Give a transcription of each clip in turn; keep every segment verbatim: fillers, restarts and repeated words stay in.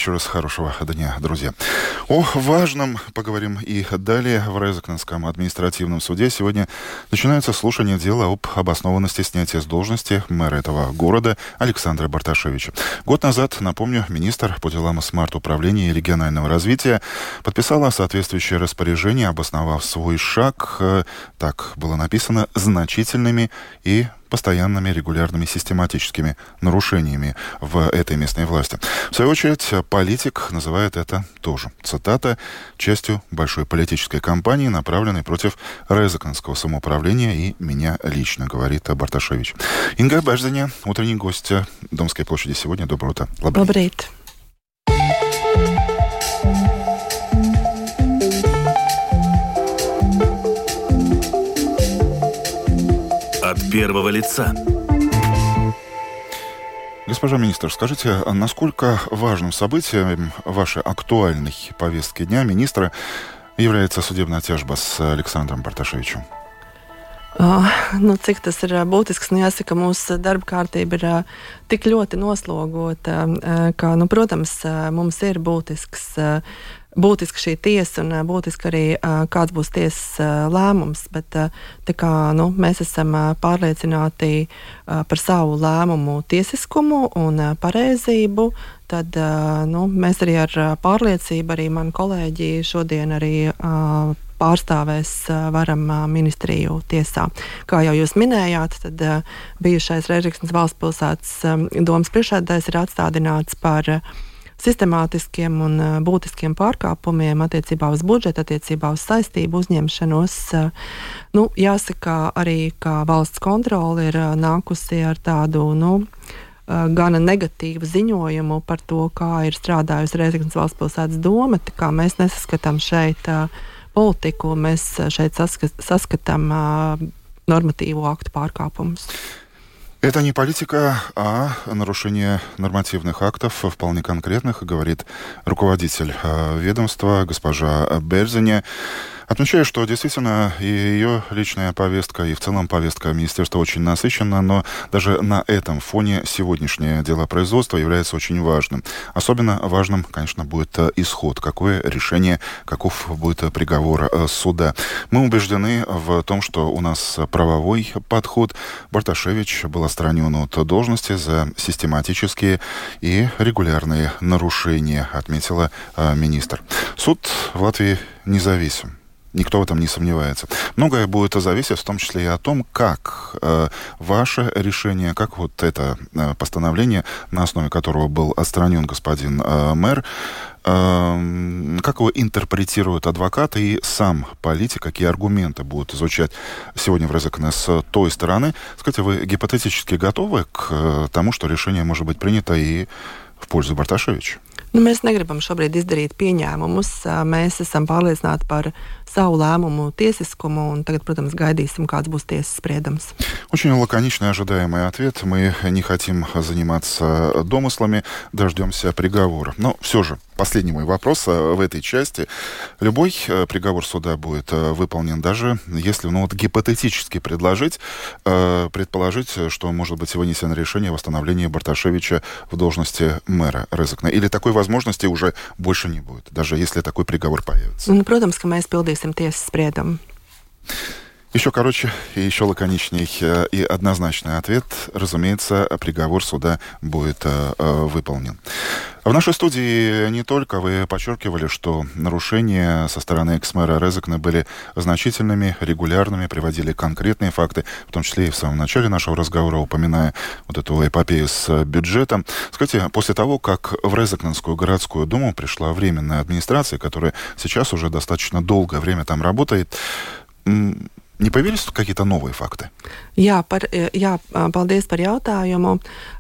Еще раз хорошего дня, друзья. О важном поговорим и далее. В Резекненском административном суде сегодня начинаются слушания дела об обоснованности снятия с должности мэра этого города Александра Барташевича. Год назад, напомню, министр по делам смарт-управления и регионального развития подписала соответствующее распоряжение, обосновав свой шаг, так было написано, значительными и постоянными, регулярными, систематическими нарушениями в этой местной власти. В свою очередь, политик называет это тоже, цитата, частью большой политической кампании, направленной против Резекненского самоуправления и меня лично, говорит Барташевич. Инга Бажзаня, утренний гость Домской площади сегодня. Доброе утро. Лабрейт. От первого лица. Госпожа министр, скажите, насколько важным событием вашей актуальной повестки дня министра является судебная тяжба с Александром Барташевичем? Uh, nu, cik tas ir būtisks, nu jāsaka, mūsu darba kārtība ir uh, tik ļoti noslogota, uh, ka, nu, protams, uh, mums ir būtisks, uh, būtiska šī tiesa un uh, būtiski arī uh, kāds būs tiesas uh, lēmums, bet uh, tā kā, nu, mēs esam uh, pārliecināti uh, par savu lēmumu tiesiskumu un uh, pareizību, tad uh, nu, mēs arī ar uh, pārliecību, arī mani kolēģi šodien arī uh, pārstāvēs varam ministriju tiesā. Kā jau jūs minējāt, tad bijušais Rezeknes valsts pilsētas domas priekšsēdētājs ir atstādināts par sistemātiskiem un būtiskiem pārkāpumiem attiecībā uz budžetu, attiecībā uz saistību uzņemšanos. Nu, jāsaka arī, ka valsts kontrole ir nākusi ar tādu, nu, gana negatīvu ziņojumu par to, kā ir strādājusi Rezeknes valsts pilsētas doma, tā kā mēs nesaskatām šeit politiku, mēs šeit saskatām uh, нормативу акта pārkāpumus. Это не политика, а нарушение нормативных актов, вполне конкретных, говорит руководитель э, ведомства госпожа Бержзаня. Отмечаю, что действительно и ее личная повестка, и в целом повестка министерства очень насыщена, но даже на этом фоне сегодняшнее дело производства является очень важным. Особенно важным, конечно, будет исход, какое решение, каков будет приговор суда. Мы убеждены в том, что у нас правовой подход. Барташевич был отстранен от должности за систематические и регулярные нарушения, отметила министр. Суд в Латвии независим. Никто в этом не сомневается. Многое будет зависеть, в том числе и о том, как э, ваше решение, как вот это э, постановление, на основе которого был отстранен господин э, мэр, э, как его интерпретируют адвокаты и сам политик, какие аргументы будут изучать сегодня в Резекне с той стороны. Скажите, вы гипотетически готовы к э, тому, что решение может быть принято и в пользу Барташевича? Nu, mēs negribam šobrīd izdarīt pieņēmumus. Mēs esam pārliecināti par savu lēmumu tiesiskumu, un tagad, protams, gaidīsim, kāds būs tiesas spriedums. Очень лаконичный ожидаемый ответ. Мы не хотим заниматься домыслами, дождемся приговора. Но все же, последний мой вопрос в этой части. Любой приговор суда будет выполнен, даже если, ну вот, гипотетически предложить, предположить, что может быть вынесено решение о восстановлении Барташевича в должности мэра Резекне. Или такой возможности уже больше не будет, даже если такой приговор появится. Nu, protams, ka mēs pildīsim tiesas spriedumu. Еще короче и еще лаконичней и однозначный ответ. Разумеется, приговор суда будет э, выполнен. В нашей студии не только вы подчеркивали, что нарушения со стороны экс-мэра Резекне были значительными, регулярными, приводили конкретные факты, в том числе и в самом начале нашего разговора, упоминая вот эту эпопею с бюджетом. Скажите, после того, как в Резекненскую городскую думу пришла временная администрация, которая сейчас уже достаточно долгое время там работает, не появились тут какие-то новые факты? Jā, par, jā, paldies par jautājumu.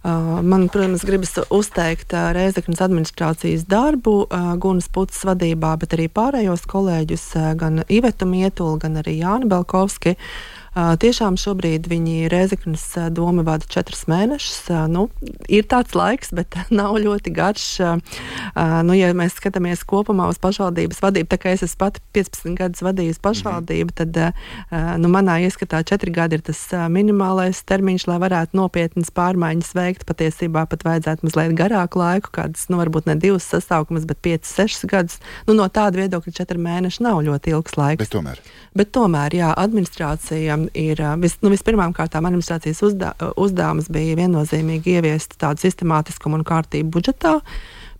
Man, protams, gribas uzteikt Rezeknes administrācijas darbu Gunas Putas vadībā, bet arī pārējos kolēģus, gan Ivetu Mietulu, gan arī Jāni Belkovski. Tiešām šobrīd viņi Rēzeknes doma vada četrus mēnešus. Nu, ir tāds laiks, bet nav ļoti garš. Nu, ja mēs skatāmies kopumā uz pašvaldības vadību, tā kā es esmu pati piecpadsmit gadus vadījusi pašvaldību, tad nu, manā ieskatā četri gadi ir tas minimālais termiņš, lai varētu nopietnas pārmaiņas veikt. Patiesībā pat vajadzētu mazliet garāku laiku, kādas, nu, varbūt ne divas sasaukumas, bet piecas, sešas gadus. Nu, no tāda viedokļa četri mēneši nav ļoti ilgs laiks. Bet tomēr. Bet tomēr, jā, administrācija ir, vis, nu, vispirmām kārtām administrācijas uzdā, uzdevums bija viennozīmīgi ieviest tādu sistemātiskumu un kārtību budžetā,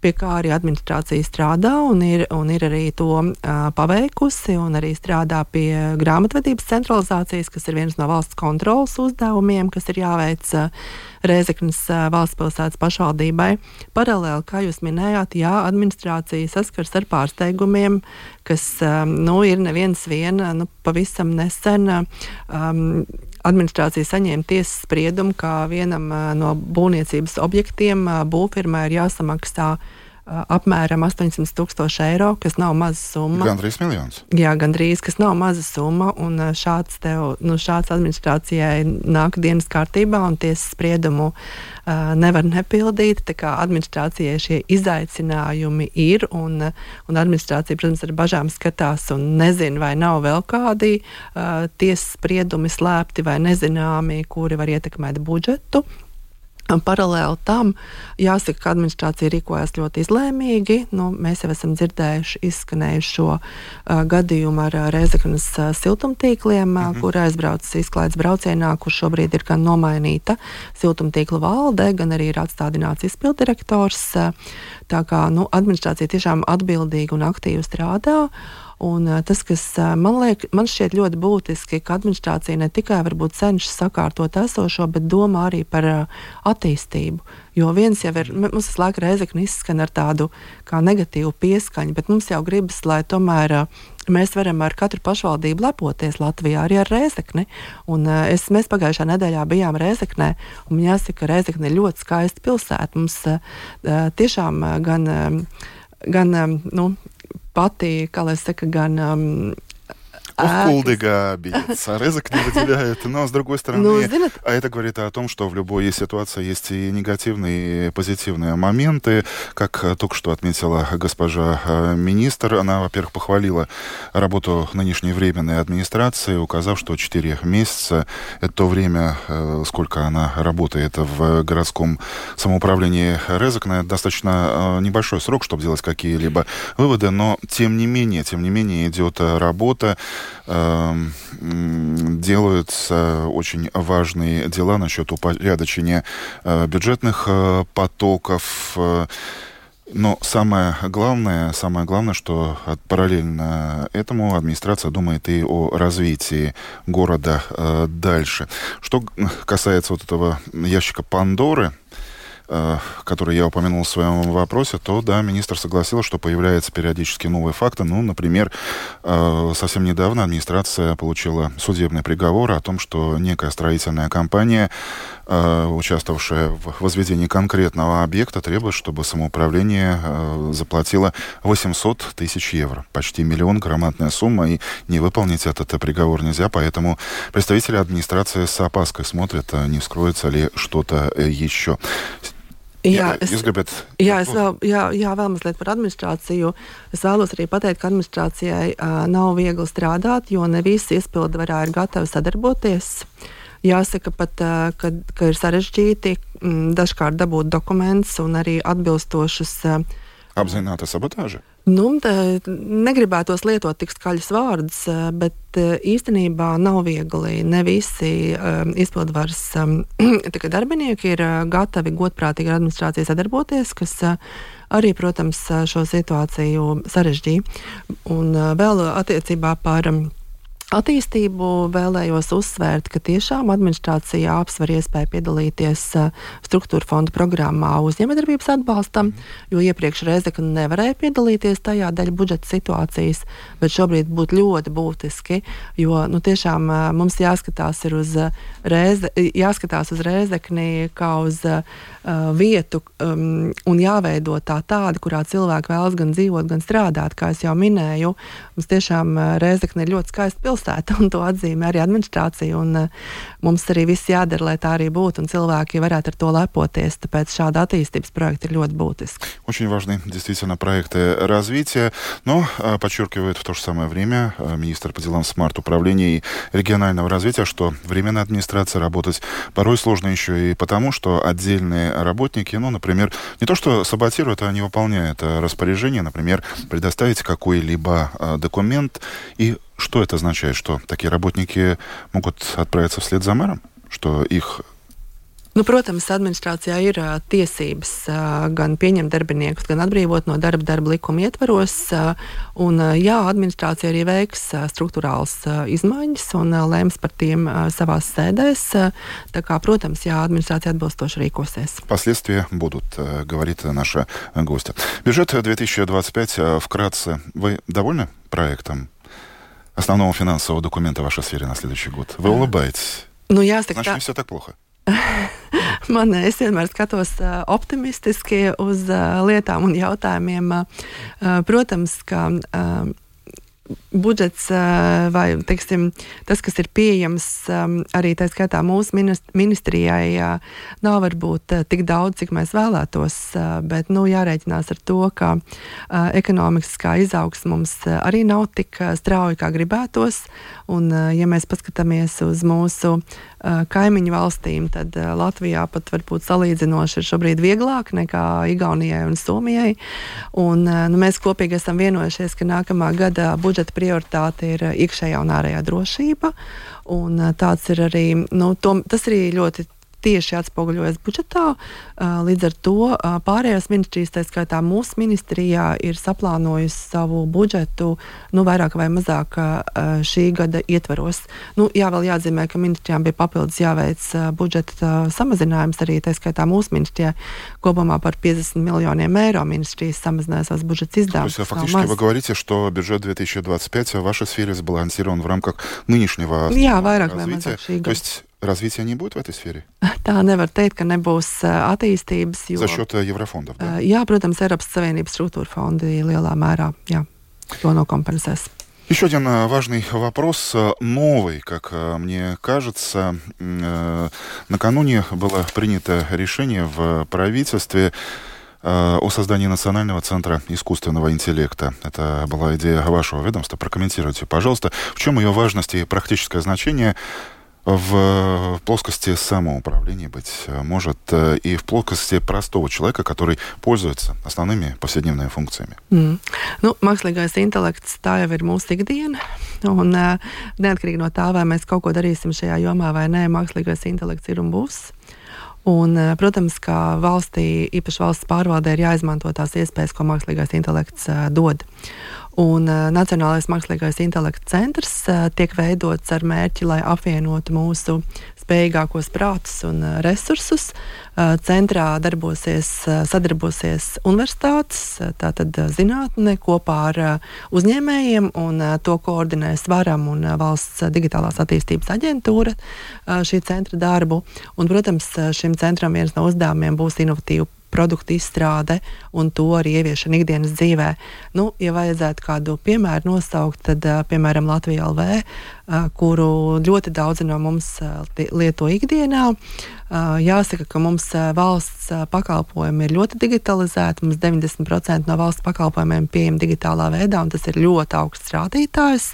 pie kā arī administrācija strādā un ir, un ir arī to uh, paveikusi un arī strādā pie grāmatvedības centralizācijas, kas ir viens no valsts kontrolas uzdevumiem, kas ir jāveic uh, Rēzeknes uh, valsts pilsētas pašvaldībai. Paralēli, kā jūs minējāt, jā, administrācija saskars ar pārsteigumiem, kas um, nu, ir neviens viena, nu, pavisam nesen um, administrācija saņēma tiesas spriedumu, ka vienam uh, no būvniecības objektiem uh, būvfirmai ir jāsamaksā uh, apmēram astoņsimt tūkstoši eiro, kas nav maza summa. Gandrīz miljons. Jā, gandrīz, kas nav maza summa, un uh, šāds, tev, nu, šāds administrācijai nāk dienas kārtībā, un tiesas spriedumu uh, nevar nepildīt. Tā kā administrācijai šie izaicinājumi ir, un, un administrācija, protams, ar bažām skatās un nezina, vai nav vēl kādi uh, tiesas spriedumi slēpti vai nezināmi, kuri var ietekmēt budžetu. Paralēli tam jāsaka, ka administrācija rīkojas ļoti izlēmīgi. Nu, mēs jau esam dzirdējuši, izskanējuši šo uh, gadījumu ar uh, Rēzeknes uh, siltumtīkliem, uh, mm-hmm. kur aizbraucis izklaides braucienā, kur šobrīd ir gan nomainīta siltumtīkla valde, gan arī ir atstādināts izpildirektors. Uh, tā kā nu, administrācija tiešām atbildīgi un aktīvi strādā. Un tas, kas man, liek, man šķiet ļoti būtiski, ka administrācija ne tikai varbūt cenšas sakārtot esošo, bet domā arī par attīstību. Jo viens jau ir, mums tas laika Rēzekne izskan ar tādu kā negatīvu pieskaņu, bet mums jau gribas, lai tomēr mēs varam ar katru pašvaldību lepoties Latvijā, arī ar Rēzekni. Un es, mēs pagājušā nedēļā bijām Rēzeknē, un jāsaka, ka Rēzekne ir ļoti skaista pilsēta. Mums tiešām gan, gan nu, пати, коли сека ган Кулдыга бьется, Резек не выделяет, но с другой стороны, ну, а это говорит о том, что в любой ситуации есть и негативные, и позитивные моменты, как только что отметила госпожа министр. Она, во-первых, похвалила работу нынешней временной администрации, указав, что четыре месяца — это то время, сколько она работает в городском самоуправлении Резекне, достаточно небольшой срок, чтобы делать какие-либо выводы, но тем не менее, тем не менее идет работа. Делаются очень важные дела насчет упорядочения бюджетных потоков. Но самое главное, самое главное, что параллельно этому администрация думает и о развитии города дальше. Что касается вот этого ящика Пандоры, который я упомянул в своем вопросе, то, да, министр согласился, что появляются периодически новые факты. Ну, например, совсем недавно администрация получила судебный приговор о том, что некая строительная компания, участвовавшая в возведении конкретного объекта, требует, чтобы самоуправление заплатило восемьсот тысяч евро. Почти миллион, громадная сумма, и не выполнить этот приговор нельзя, поэтому представители администрации с опаской смотрят, не вскроется ли что-то еще. Jā, es, jā, es vēl, jā, jā, vēl mazliet par administrāciju. Es vēlos arī pateikt, ka administrācijai uh, nav viegli strādāt, jo ne visi izpildvarā ir gatavi sadarboties. Jāsaka pat, uh, ka, ka ir sarežģīti m, dažkārt dabūt dokumentus un arī atbilstošus. Uh, Apzināta sabotāža? Nu, negribētos lietot tik skaļus vārdus, bet īstenībā nav viegli. Ne visi um, izpildvaras um, darbinieki ir gatavi godprātīgi ar administrāciju sadarboties, kas uh, arī, protams, šo situāciju sarežģīja. Un uh, vēl attiecībā par um, attīstību vēlējos uzsvērt, ka tiešām administrācija apsver iespēju piedalīties struktūra fonda programmā uzņēmējdarbības atbalstam, jo iepriekš Rēzekne nevarēja piedalīties tajā dēļ budžeta situācijas, bet šobrīd būtu ļoti būtiski, jo nu, tiešām mums jāskatās, ir uz Rēze, jāskatās uz Rēzekni kā uz uh, vietu um, un jāveido tā tāda, kurā cilvēki vēlas gan dzīvot, gan strādāt, kā es jau minēju. Mums tiešām Rēzekne ir ļoti skaista pilsēta. pilsēta, un to atzīmē arī administrācija. Un, uh, mums arī viss jādara, lai tā arī būtu, un cilvēki varētu ar to lepoties. Tāpēc šāda attīstības projekta ir ļoti būtiska. Очень важны действительно проекты развития, но подчеркивает в то же самое время министр по делам смарт-управления и регионального развития, что временная администрация работать порой сложно еще и потому, что отдельные работники, ну, например, не то что саботируют, а не выполняют распоряжение, например, предоставить какой-либо документ. И что это означает? Что такие работники могут отправиться вслед за мэром? Что их... Nu, protams, administrācijā ir uh, tiesības uh, gan pieņemt darbiniekus, gan atbrīvot no darba darba likuma ietvaros. Uh, un, uh, jā, administrācija arī veiks uh, struktūrāls uh, izmaiņas un uh, lems par tiem uh, savās sēdēs. Uh, tā kā, protams, jā, administrācija atbilstoši rīkosies. Последствия будут, говорит наша гостья. Бюджет две тысячи двадцать пять, вкратце, вы довольны проектом основного финансового документа в вашей сфере на следующий год? Вы улыбаетесь? Nu, jāsaka, Значит, tā... не все так плохо. Man, es vienmēr skatos uh, optimistiski uz uh, lietām un jautājumiem. Uh, protams, ka uh, budžets uh, vai, teiksim, tas, kas ir pieejams um, arī tā skaitā mūsu ministrijai, uh, nav varbūt uh, tik daudz, cik mēs vēlētos, uh, bet, nu, jārēķinās ar to, ka uh, ekonomiskā izaugsme mums uh, arī nav tik uh, strauji, kā gribētos, un, uh, ja mēs paskatāmies uz mūsu uh, kaimiņu valstīm, tad uh, Latvijā pat varbūt salīdzinoši ir šobrīd vieglāk nekā Igaunijai un Somijai, un uh, nu, mēs kopīgi esam vienojušies, ka nākamā gada budžeta prioritāte ir iekšējā un ārējā drošība, un tāds ir arī, nu, to, tas arī ļoti tieši atspoguļojas budžetā. Līdz ar to pārējās ministrijas, tā skaitā mūsu ministrijā, ir saplānojusi savu budžetu, nu, vairāk vai mazāk šī gada ietvaros. Nu, jā, vēl jāatzīmē, ka ministrijām bija papildus jāveic budžeta samazinājums arī, tā skaitā mūsu ministrijā, kopumā par piecdesmit miljoniem eiro ministrijas samazināja savas budžeta izdevumus. То есть фактически вы говорите, что бюджет две тысячи двадцать пять в вашей сфере сбалансирован в рамках нынешнего jā, vairāk vai развития. mazāk šī То gada. есть развития не будет в этой сфере? Tā nevar teikt, ka nebūs attīstības, jo... За счет еврофондов, да? Jā, protams, Eiropas Savienības struktūra fondi lielā mērā, jā, to nokompensēs. Еще один важный вопрос, новый, как мне кажется. Накануне было принято решение в правительстве о создании Национального центра искусственного интеллекта. Это была идея вашего ведомства. Прокомментируйте, пожалуйста, в чем ее важность и практическое значение в плоскости самоуправления, быть может, и в плоскости простого человека, который пользуется основными повседневными функциями. Mm. Nu, mākslīgais intelekts, tā jau ir mūsu ikdiena, un uh, neatkarīgi no tā, vai mēs kaut ko darīsim šajā jomā vai nē, mākslīgais intelekts ir un būs. Un, uh, protams, ka valstī, īpaši valsts pārvaldē, ir jāizmanto tās iespējas, ko mākslīgais intelekts uh, dod. Un uh, Nacionālais mākslīgais intelekts centrs uh, tiek veidots ar mērķi, lai apvienotu mūsu spējīgākos prātus un uh, resursus. Uh, centrā darbosies, uh, sadarbosies universitātes, uh, tātad uh, zinātne kopā ar uh, uzņēmējiem, un uh, to koordinēs Varam un uh, Valsts digitālās attīstības aģentūra uh, šī centra darbu. Un, protams, šim centram viens no uzdevumiem būs inovatīvu produktu izstrāde un to arī ieviešana ikdienas dzīvē. Nu, ja vajadzētu kādu piemēru nosaukt, tad, piemēram, Latvija L V, kuru ļoti daudzi no mums lieto ikdienā. Jāsaka, ka mums valsts pakalpojumi ir ļoti digitalizēti. Mums deviņdesmit procenti no valsts pakalpojumiem pieejami digitālā veidā, un tas ir ļoti augsts rādītājs.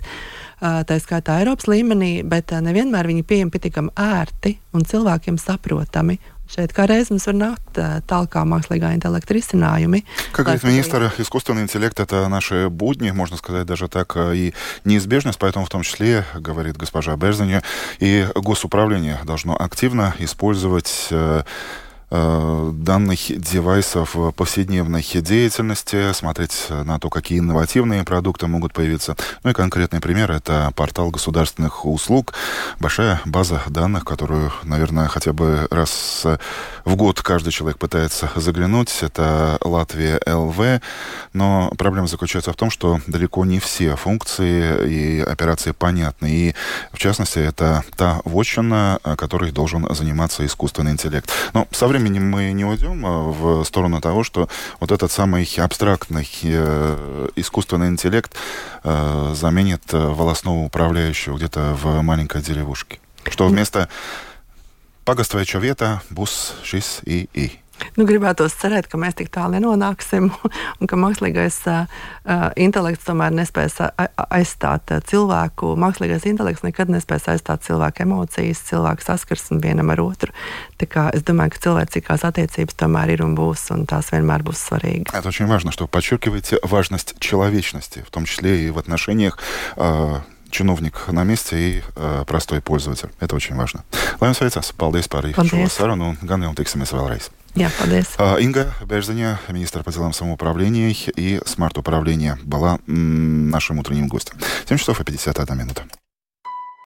Tā skaitā Eiropas līmenī, bet nevienmēr viņi pieejami pietiekami ērti un cilvēkiem saprotami. Šeit kā reiz mums var nākt tālāk mākslīgā intelekта risinājumi. Как говорит министр, искусственный интеллект — это наши будни, можно сказать даже так, и неизбежность, поэтому в том числе, говорит госпожа Берзаня, и госуправление должно активно использовать данных девайсов в повседневной деятельности, смотреть на то, какие инновативные продукты могут появиться. Ну и конкретный пример — это портал государственных услуг, большая база данных, которую, наверное, хотя бы раз в год каждый человек пытается заглянуть. Это Латвия Л В, но проблема заключается в том, что далеко не все функции и операции понятны. И, в частности, это та вотчина, которой должен заниматься искусственный интеллект. Но со временем временем мы не уйдем в сторону того, что вот этот самый абстрактный э, искусственный интеллект э, заменит волосного управляющего где-то в маленькой деревушке. Что вместо «Pagasts vai čo vietā» būs šis I I. Nu, gribētos cerēt, ka mēs tik tālu nenonāksim un ka mākslīgais uh, intelekts tomēr nespēs aizstāt uh, cilvēku. Mākslīgais intelekts nekad nespēs aizstāt cilvēku emocijas, cilvēku saskarsmi vienam ar otru. Tā kā es domāju, ka cilvēcīgās attiecības tomēr ir un būs, un tās vienmēr būs svarīgas. Это очень важно, что подчеркиваете важность человечности, в том числе и в отношениях э, чиновник на месте и э, простой пользователь. Это очень важно. Lai jums veicas. Paldies par šo sarunu un gan jau tiksimies vēlreiz. Jā, paldies. Инга Берзаня, министр по делам самоуправления и смарт-управления, была м- нашим утренним гостем. семь часов и пятьдесят одна минута.